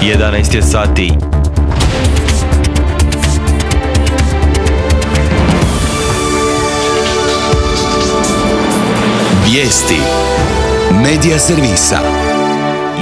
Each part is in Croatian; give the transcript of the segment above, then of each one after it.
11 je sati. Vijesti Medija servisa.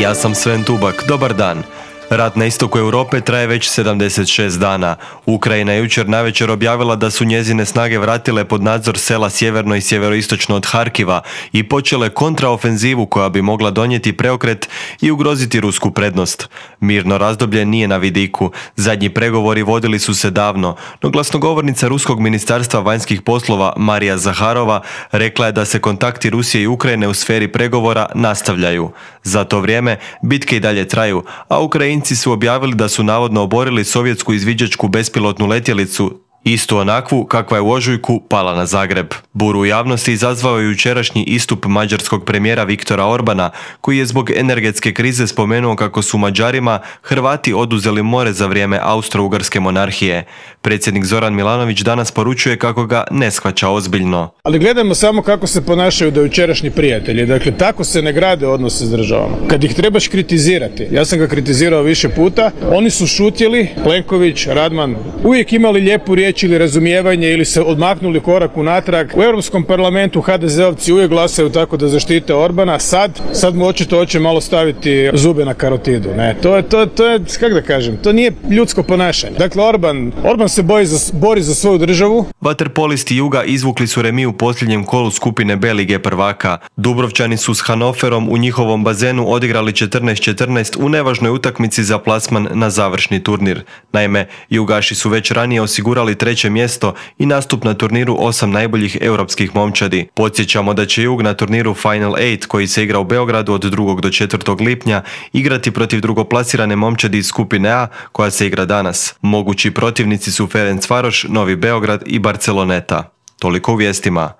Ja sam Sven Tubak, dobar dan. Rat na istoku Europe traje već 76 dana. Ukrajina je jučer navečer objavila da su njezine snage vratile pod nadzor sela sjeverno i sjeveroistočno od Harkiva i počele kontraofenzivu koja bi mogla donijeti preokret i ugroziti rusku prednost. Mirno razdoblje nije na vidiku. Zadnji pregovori vodili su se davno, no glasnogovornica Ruskog ministarstva vanjskih poslova Marija Zaharova rekla je da se kontakti Rusije i Ukrajine u sferi pregovora nastavljaju. Za to vrijeme bitke i dalje traju, a Ukrajinci su objavili da su navodno oborili sovjetsku izviđačku bespilotnu letjelicu, istu onakvu kakva je u ožujku pala na Zagreb. Buru u javnosti izazvao je jučerašnji istup mađarskog premijera Viktora Orbana, koji je zbog energetske krize spomenuo kako su Mađarima Hrvati oduzeli more za vrijeme Austro-Ugarske monarhije. Predsjednik Zoran Milanović danas poručuje kako ga ne shvaća ozbiljno. Ali gledajmo samo kako se ponašaju dojučerašnji prijatelji. Dakle, tako se ne grade odnose s državama. Kad ih trebaš kritizirati, ja sam ga kritizirao više puta, oni su šutjeli, Plenković, Radman, uvijek imali lijepu riječ ili razumijevanje ili se odmaknuli korak unatrag. U Europskom parlamentu HDZ-ovci uvijek glasaju tako da zaštite Orbana, sad mu očito hoće malo staviti zube na karotidu. Ne, to je, kako da kažem, to nije ljudsko ponašanje. Dakle, Orban se bori za svoju državu. Vaterpolisti Juga izvukli su remi u posljednjem kolu skupine B lige prvaka. Dubrovčani su s Hannoverom u njihovom bazenu odigrali 14-14 u nevažnoj utakmici za plasman na završni turnir. Naime, Jugaši su već ranije osigurali treće mjesto i nastup na turniru 8 najboljih europskih momčadi. Podsjećamo da će Jug na turniru Final 8 koji se igra u Beogradu od 2. do 4. lipnja igrati protiv drugoplasirane momčadi iz skupine A koja se igra danas. Mogući protivnici su Ferencvaroš, Novi Beograd i Barceloneta. Toliko u vijestima.